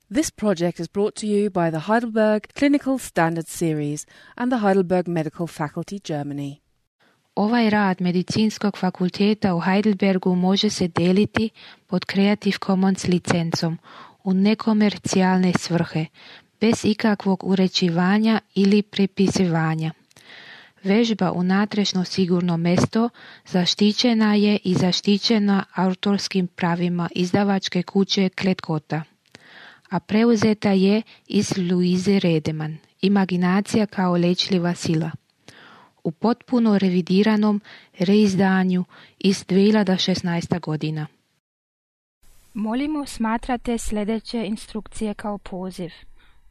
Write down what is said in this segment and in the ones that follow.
This project is brought to you by the Heidelberg Clinical Standards Series and the Heidelberg Medical Faculty, Germany. Ovaj rad Medicinskog fakulteta u Heidelbergu može se deliti pod Creative Commons licencom u nekomercijalne svrhe, bez ikakvog uređivanja ili prepisivanja. Vežba u natрешно sigurno mesto zaštićena je i zaštićena autorskim pravima izdavačke kuće Kletkota, a preuzeta je iz Louise Redeman, Imaginacija kao lečljiva sila, u potpuno revidiranom reizdanju iz 2016. godina. Molimo smatrate sljedeće instrukcije kao poziv.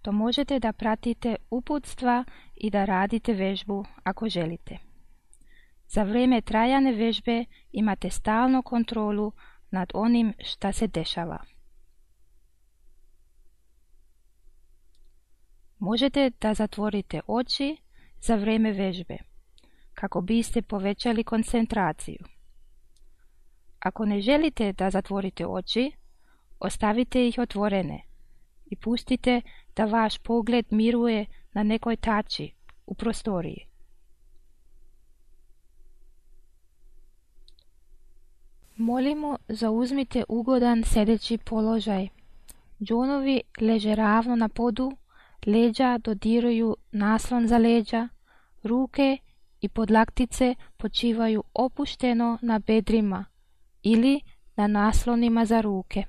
To možete da pratite uputstva i da radite vežbu ako želite. Za vrijeme trajane vežbe imate stalnu kontrolu nad onim šta se dešava. Možete da zatvorite oči za vrijeme vežbe, kako biste povećali koncentraciju. Ako ne želite da zatvorite oči, ostavite ih otvorene i pustite da vaš pogled miruje na nekoj tači u prostoriji. Molimo, zauzmite ugodan sedeći položaj. Džonovi leže ravno na podu, leđa dodiruju naslon za leđa, ruke i podlaktice počivaju opušteno na bedrima ili na naslonima za ruke.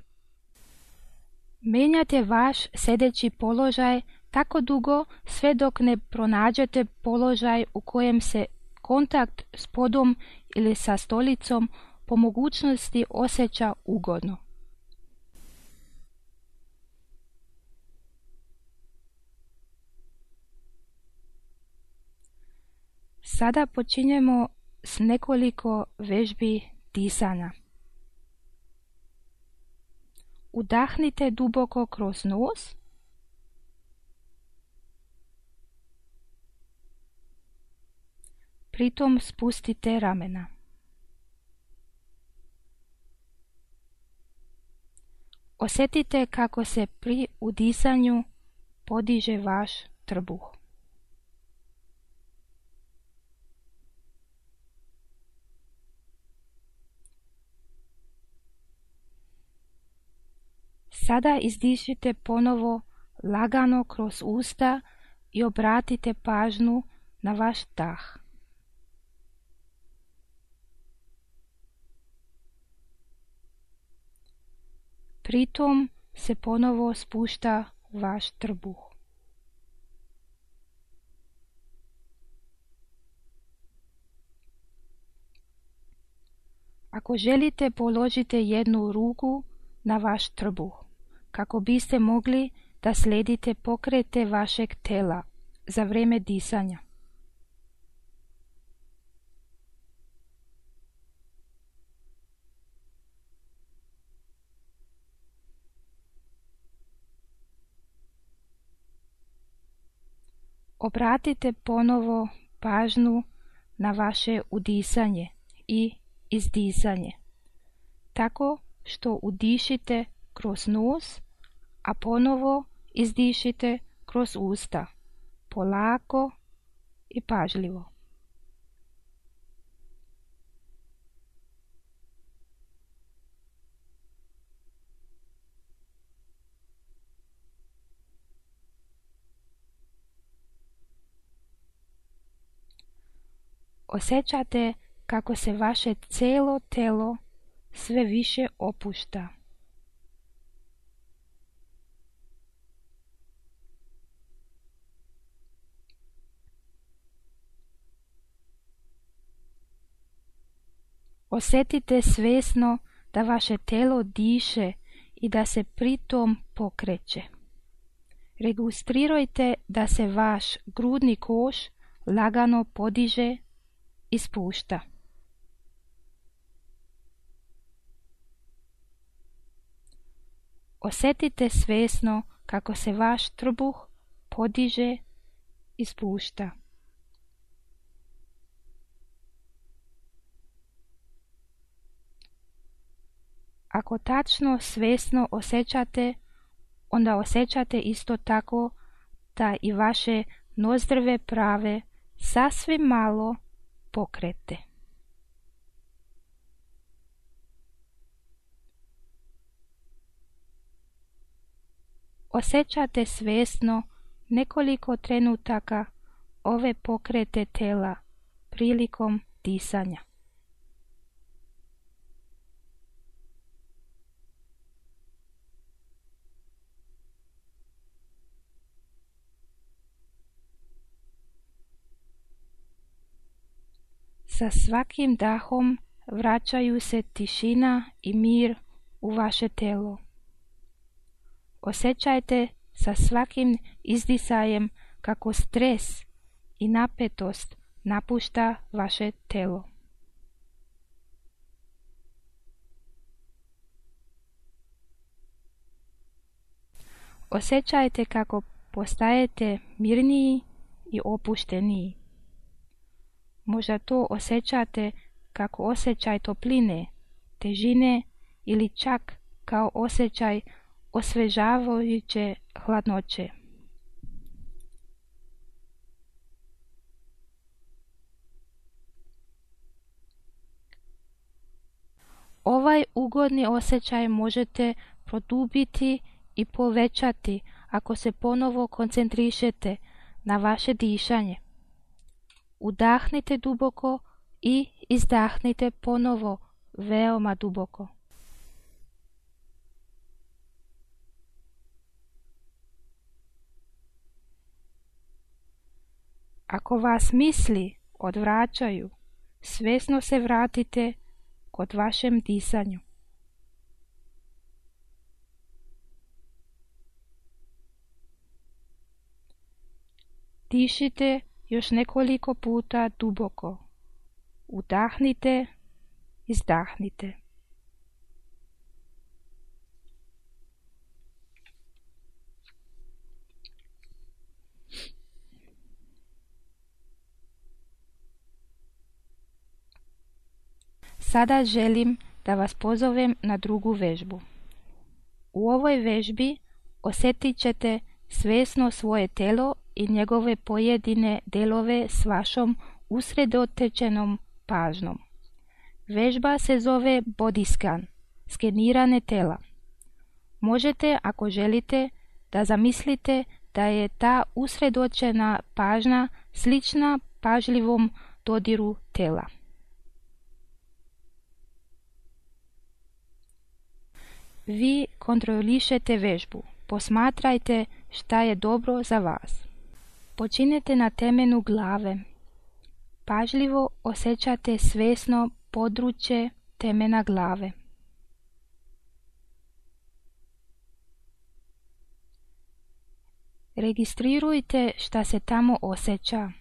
Menjate vaš sedeći položaj tako dugo sve dok ne pronađete položaj u kojem se kontakt s podom ili sa stolicom po mogućnosti osjeća ugodno. Sada počinjemo s nekoliko vežbi disanja. Udahnite duboko kroz nos. Pritom spustite ramena. Osjetite kako se pri udisanju podiže vaš trbuh. Sada izdišite ponovo lagano kroz usta i obratite pažnju na vaš dah. Pritom se ponovo spušta vaš trbuh. Ako želite, položite jednu ruku na vaš trbuh, kako biste mogli da sledite pokrete vašeg tela za vrijeme disanja. Obratite ponovo pažnju na vaše udisanje i izdisanje, tako što udišite kroz nos, a ponovo izdišite kroz usta, polako i pažljivo. Osjećate kako se vaše cijelo telo sve više opušta. Osjetite svjesno da vaše telo diše i da se pritom pokreće. Registrirajte da se vaš grudni koš lagano podiže i spušta. Osjetite svjesno kako se vaš trbuh podiže i spušta. Ako tačno svjesno osjećate, onda osjećate isto tako da i vaše nozdrve prave sasvim malo pokrete. Osjećate svjesno nekoliko trenutaka ove pokrete tela prilikom disanja. Sa svakim dahom vraćaju se tišina i mir u vaše telo. Osjećajte sa svakim izdisajem kako stres i napetost napušta vaše telo. Osjećajte kako postajete mirniji i opušteniji. Možda to osjećate kako osjećaj topline, težine ili čak kao osjećaj osvežavajuće hladnoće. Ovaj ugodni osjećaj možete produbiti i povećati ako se ponovo koncentrišete na vaše dišanje. Udahnite duboko i izdahnite ponovo veoma duboko. Ako vas misli odvraćaju, svjesno se vratite kod vašem disanju. Dišite još nekoliko puta duboko. Udahnite, izdahnite. Sada želim da vas pozovem na drugu vežbu. U ovoj vežbi osjetit ćete svjesno svoje telo i njegove pojedine delove s vašom usredotočenom pažnjom. Vežba se zove body scan, skeniranje tela. Možete, ako želite, da zamislite da je ta usredotočena pažnja slična pažljivom dodiru tela. Vi kontrolišete vežbu, posmatrajte šta je dobro za vas. Počinjete na temenu glave. Pažljivo osjećate svjesno područje temena glave. Registrirujte šta se tamo osjeća.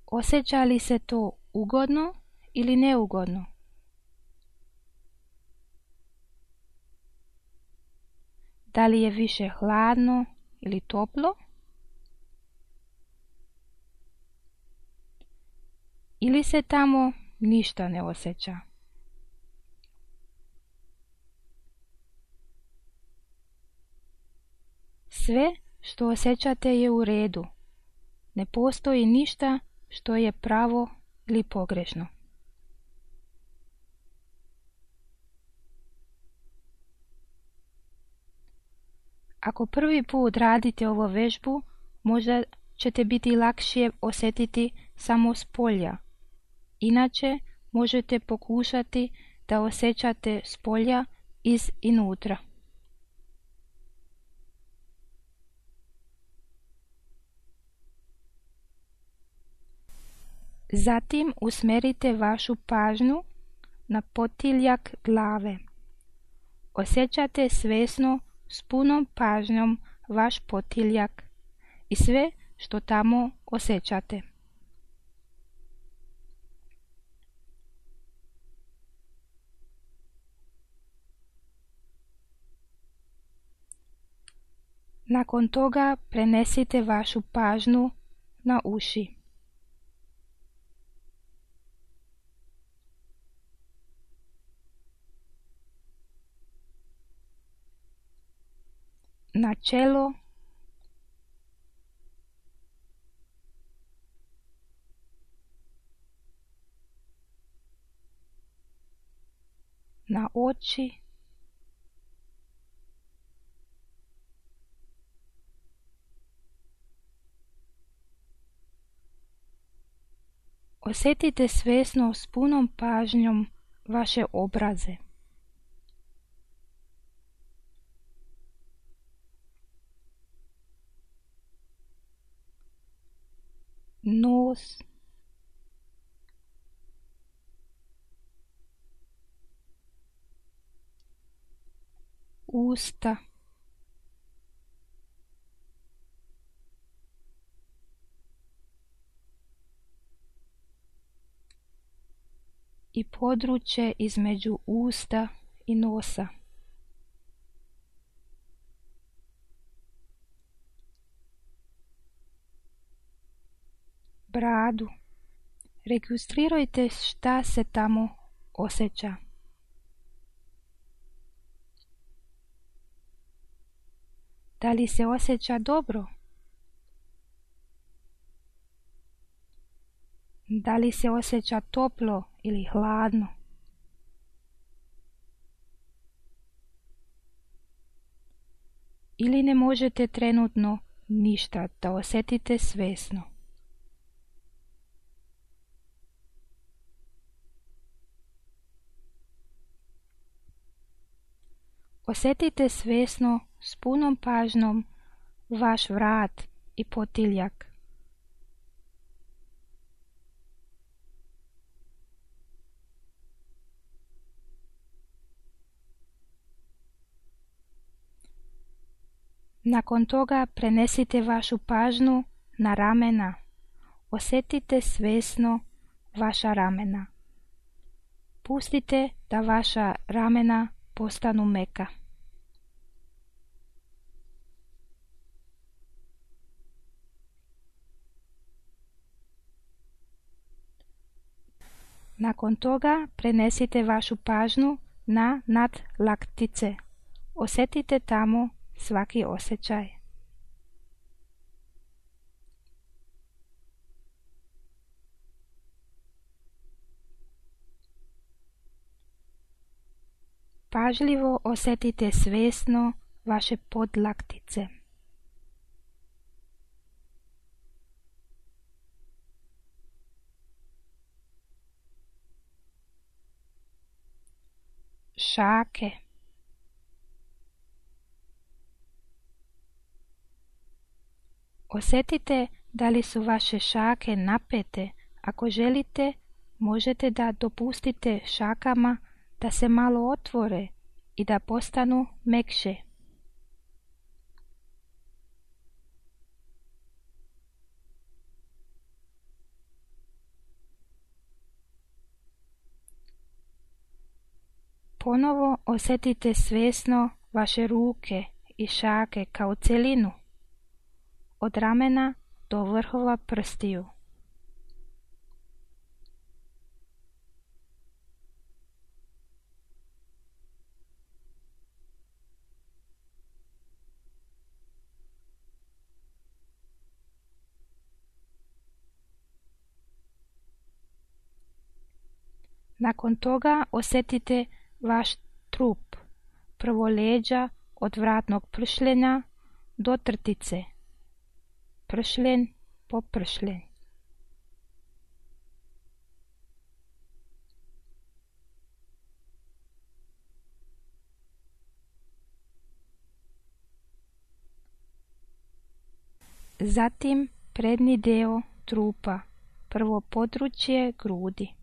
Osjeća li se to ugodno ili neugodno? Da li je više hladno ili toplo? Ili se tamo ništa ne osjeća? Sve što osjećate je u redu. Ne postoji ništa što je pravo ili pogrešno. Ako prvi put radite ovu vežbu, možda ćete biti lakše osjetiti samo s polja. Inače, možete pokušati da osjećate s polja iz inutra. Zatim usmjerite vašu pažnju na potiljak glave. Osjećate svjesno s punom pažnjom vaš potiljak i sve što tamo osjećate. Nakon toga prenesite vašu pažnju na uši. na čelo, na oči, osjetite svjesno s punom pažnjom vaše obraze. Nos, usta, i područje između usta i nosa. Bradu. Registrirajte šta se tamo osjeća. Da li se osjeća dobro? Da li se osjeća toplo ili hladno? Ili ne možete trenutno ništa da osjetite svjesno? Osjetite svjesno s punom pažnjom vaš vrat i potiljak. Nakon toga prenesite vašu pažnju na ramena. Osjetite svjesno vaša ramena. Pustite da vaša ramena postanu meka. Nakon toga prenesite vašu pažnju na nadlaktice. Osjetite tamo svaki osjećaj. Pažljivo osjetite svjesno vaše podlaktice. Šake. Osjetite da li su vaše šake napete. Ako želite, možete da dopustite šakama da se malo otvore i da postanu mekše. Ponovo osjetite svjesno vaše ruke i šake kao cjelinu, od ramena do vrhova prstiju. Nakon toga osjetite vaš trup, prvo leđa od vratnog pršljenja do trtice, pršljen po pršljen. Zatim prednji dio trupa, prvo područje grudi.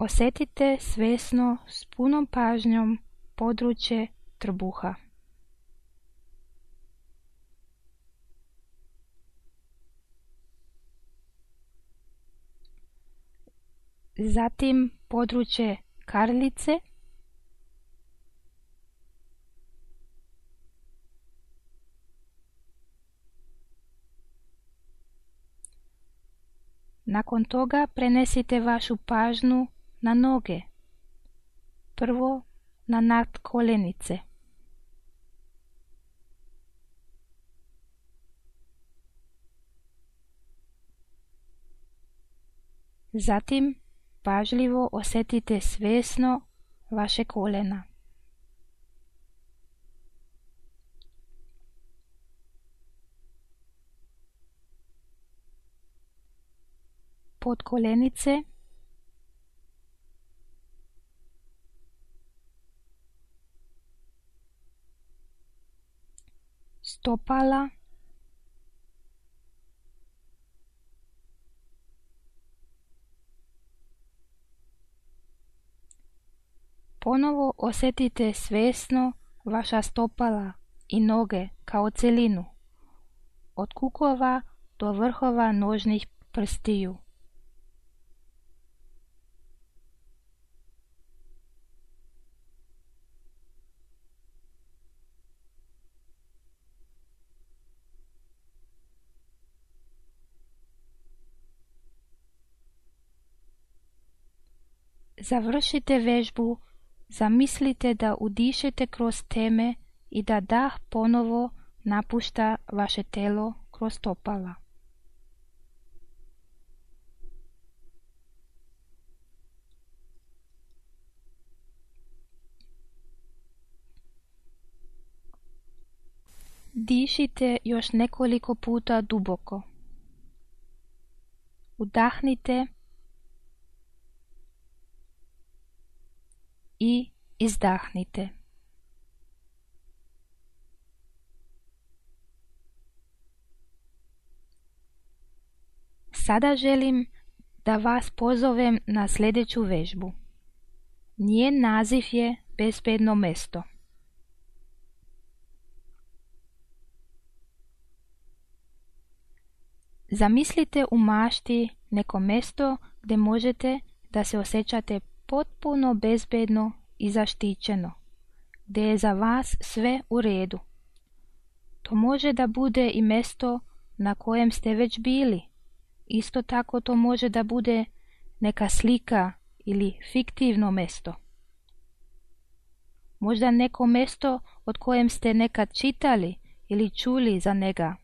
Osjetite svjesno s punom pažnjom područje trbuha. Zatim područje karlice, Nakon toga prenesite vašu pažnju na noge. Prvo na nadkoljenice. Zatim pažljivo osjetite svjesno vaše koljena. Podkoljenice, stopala, ponovo osjetite svjesno vaša stopala i noge kao cjelinu, od kukova do vrhova nožnih prstiju. Završite vežbu, zamislite da udišete kroz teme i da dah ponovo napušta vaše telo kroz stopala. Dišite još nekoliko puta duboko. Udahnite i izdahnite. Sada želim da vas pozovem na sljedeću vežbu. Njen naziv je bezbedno mesto. Zamislite u mašti neko mesto gdje možete da se osjećate potpuno bezbedno i zaštićeno, gdje je za vas sve u redu. To može da bude i mesto na kojem ste već bili. Isto tako to može da bude neka slika ili fiktivno mesto. Možda neko mesto od kojem ste nekad čitali ili čuli za njega.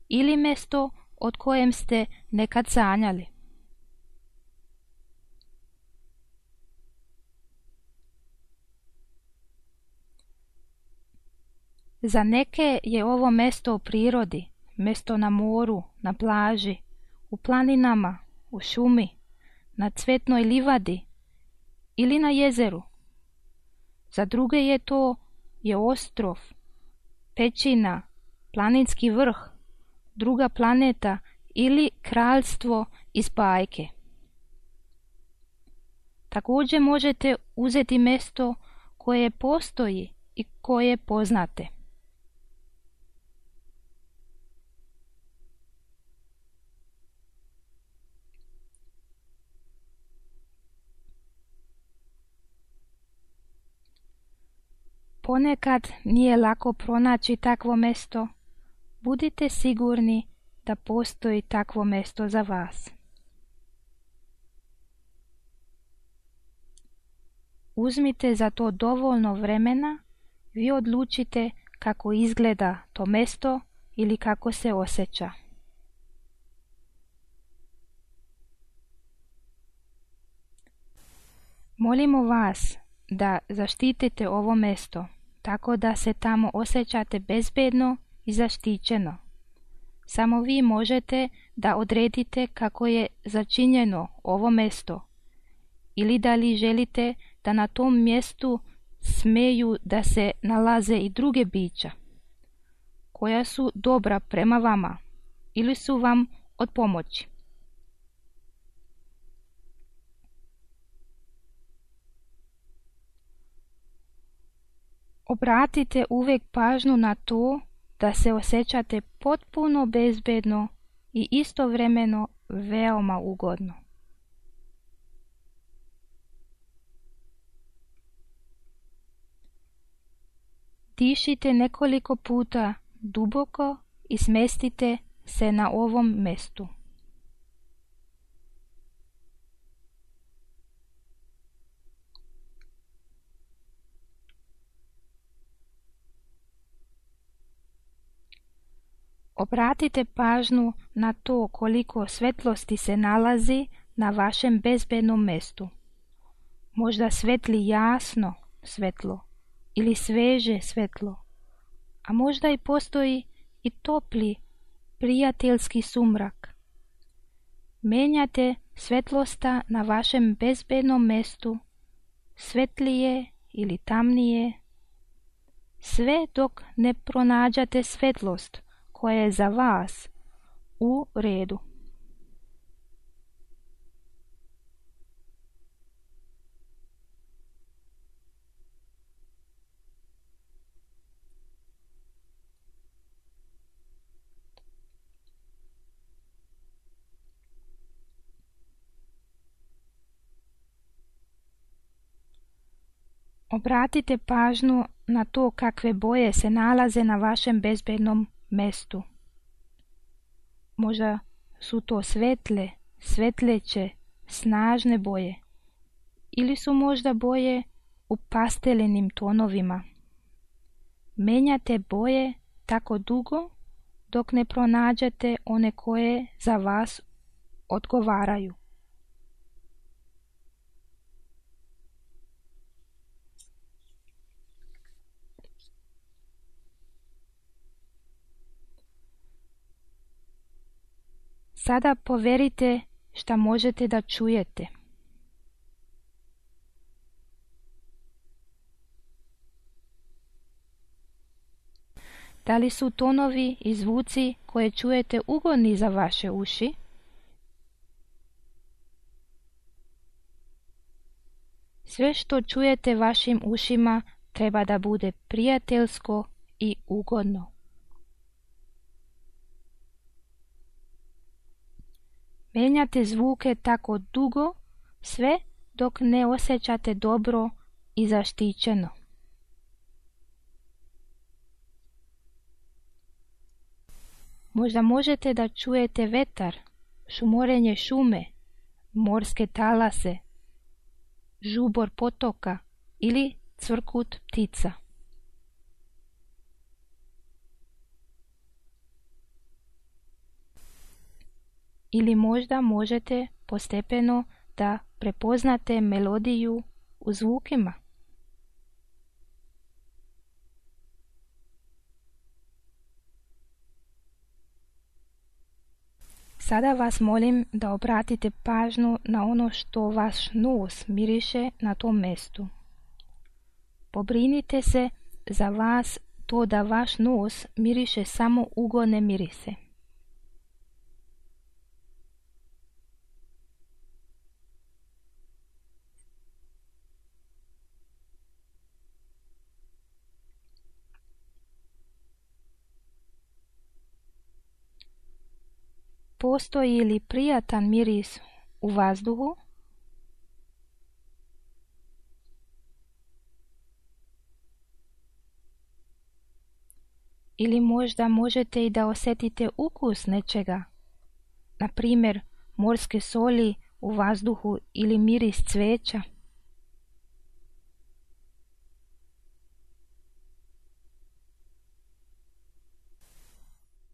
Ili mesto od kojem ste nekad sanjali. Za neke je ovo mesto u prirodi, mesto na moru, na plaži, u planinama, u šumi, na cvetnoj livadi ili na jezeru. Za druge je ostrov, pećina, planinski vrh, druga planeta ili kraljstvo iz bajke. Također možete uzeti mjesto koje postoji i koje poznate. Ponekad nije lako pronaći takvo mjesto. Budite sigurni da postoji takvo mjesto za vas. Uzmite za to dovoljno vremena, vi odlučite kako izgleda to mjesto ili kako se osjeća. Molimo vas da zaštitite ovo mjesto, tako da se tamo osjećate bezbedno i zaštićeno. Samo vi možete da odredite kako je začinjeno ovo mjesto, ili da li želite da na tom mjestu smeju da se nalaze i druge bića, koja su dobra prema vama ili su vam od pomoći. Obratite uvijek pažnju na to da se osjećate potpuno bezbedno i istovremeno veoma ugodno. Dišite nekoliko puta duboko i smestite se na ovom mjestu. Obratite pažnju na to koliko svetlosti se nalazi na vašem bezbednom mestu. Možda svetli jasno svetlo ili sveže svetlo, a možda i postoji i topli, prijateljski sumrak. Menjate svetlosta na vašem bezbednom mestu, svetlije ili tamnije, sve dok ne pronađate svetlost koja je za vas u redu. Obratite pažnju na to kakve boje se nalaze na vašem bezbednom mestu. Možda su to svetle, svetleće, snažne boje. Ili su možda boje u pastelenim tonovima. Menjate boje tako dugo dok ne pronađete one koje za vas odgovaraju. Sada poverite šta možete da čujete. Da li su tonovi i zvuci koje čujete ugodni za vaše uši? Sve što čujete vašim ušima treba da bude prijateljsko i ugodno. Menjate zvuke tako dugo, sve dok ne osjećate dobro i zaštićeno. Možda možete da čujete vetar, šumorenje šume, morske talase, žubor potoka ili cvrkut ptica. Ili možda možete postepeno da prepoznate melodiju u zvukima. Sada vas molim da obratite pažnju na ono što vaš nos miriše na tom mestu. Pobrinite se za vas to da vaš nos miriše samo ugodne mirise. Postoji li prijatan miris u vazduhu? Ili možda možete i da osjetite ukus nečega, na primjer morske soli u vazduhu ili miris cveća.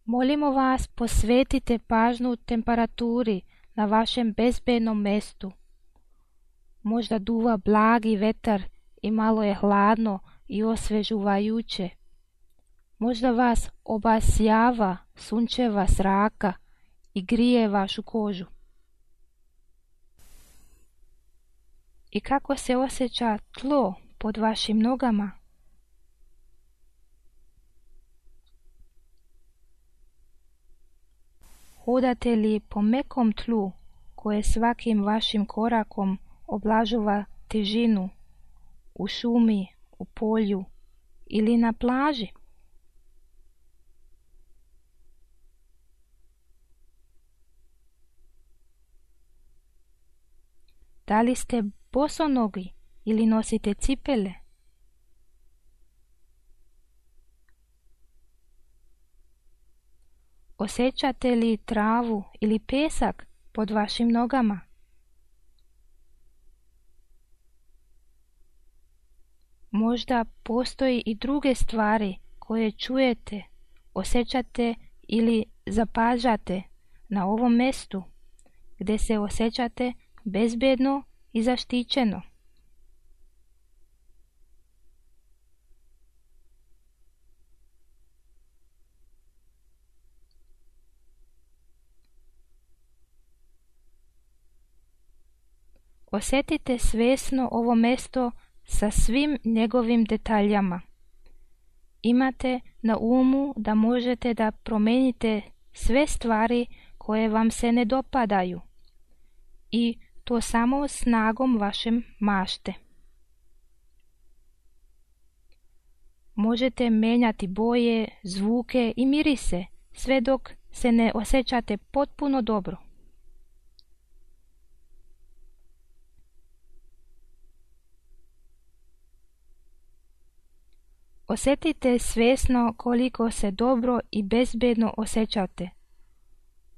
Molimo vas, posvetite pažnju temperaturi na vašem bezbednom mestu. Možda duva blagi vetar i malo je hladno i osvežujuće. Možda vas obasjava sunčeva zraka i grije vašu kožu. I kako se osjeća tlo pod vašim nogama? Hodate li po mekom tlu koje svakim vašim korakom oblažava težinu u šumi, u polju ili na plaži? Da li ste bosonogi ili nosite cipele? Osjećate li travu ili pesak pod vašim nogama? Možda postoji i druge stvari koje čujete, osjećate ili zapažate na ovom mjestu gdje se osjećate bezbedno i zaštićeno. Osjetite svjesno ovo mjesto sa svim njegovim detaljama. Imate na umu da možete da promijenite sve stvari koje vam se ne dopadaju i to samo snagom vaše mašte. Možete mijenjati boje, zvuke i mirise sve dok se ne osjećate potpuno dobro. Osjetite svjesno koliko se dobro i bezbedno osjećate.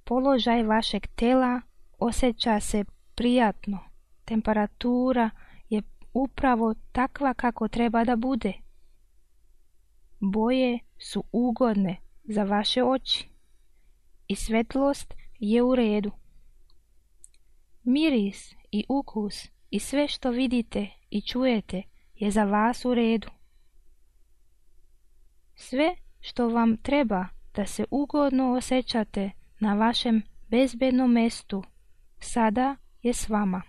Položaj vašeg tela osjeća se prijatno. Temperatura je upravo takva kako treba da bude. Boje su ugodne za vaše oči i svetlost je u redu. Miris i ukus i sve što vidite i čujete je za vas u redu. Sve što vam treba da se ugodno osjećate na vašem bezbednom mjestu sada je s vama.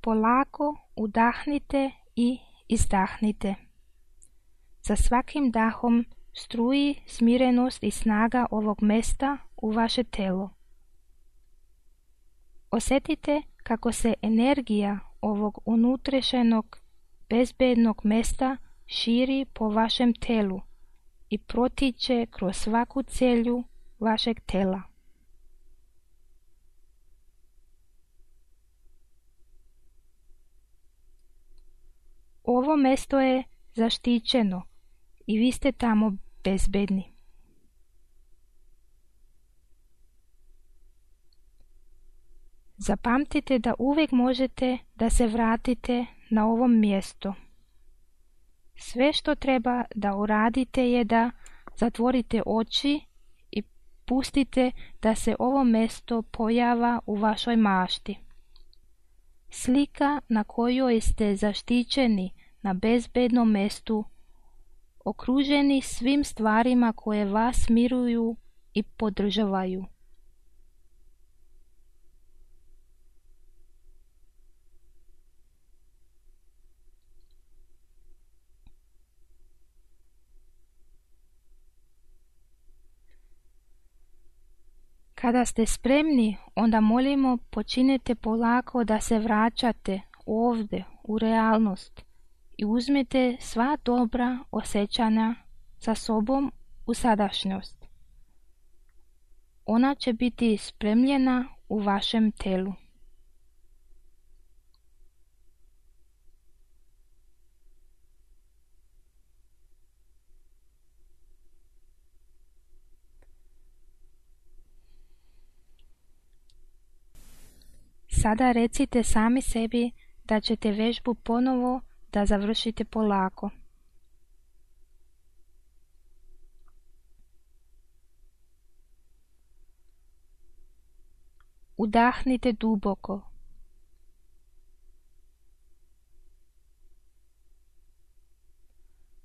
Polako udahnite i izdahnite. Za svakim dahom struji smirenost i snaga ovog mjesta u vaše telo. Osjetite kako se energija ovog unutrašnjeg bezbednog mjesta širi po vašem telu i protiče kroz svaku celju vašeg tela. Ovo mjesto je zaštićeno i vi ste tamo bezbedni. Zapamtite da uvijek možete da se vratite na ovom mjestu. Sve što treba da uradite je da zatvorite oči i pustite da se ovo mjesto pojava u vašoj mašti. Slika na kojoj ste zaštićeni na bezbednom mjestu, okruženi svim stvarima koje vas miruju i podržavaju. Kada ste spremni, onda molimo počinite polako da se vraćate ovdje u realnost i uzmete sva dobra osjećanja sa sobom u sadašnjost. Ona će biti spremljena u vašem telu. Sada recite sami sebi da ćete vežbu ponovo da završite polako. Udahnite duboko.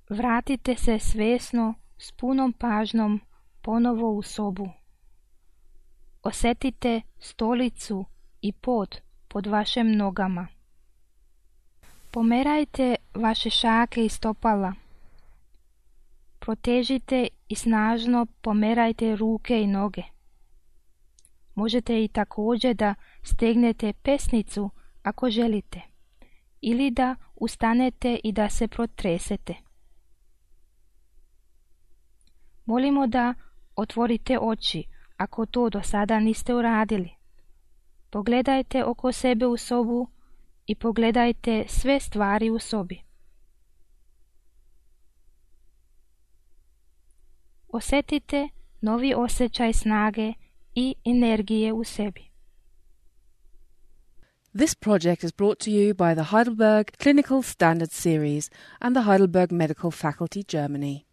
Vratite se svjesno s punom pažnjom ponovo u sobu. Osjetite stolicu i pod vašim nogama. Pomerajte vaše šake i stopala. Protežite i snažno pomerajte ruke i noge. Možete i također da stegnete pesnicu ako želite, ili da ustanete i da se protresete. Molimo da otvorite oči ako to do sada niste uradili. Pogledajte oko sebe u sobu i pogledajte sve stvari u sobi. Osjetite novi osjećaj snage i energije u sebi. This project is brought to you by the Heidelberg Clinical Standards Series and the Heidelberg Medical Faculty, Germany.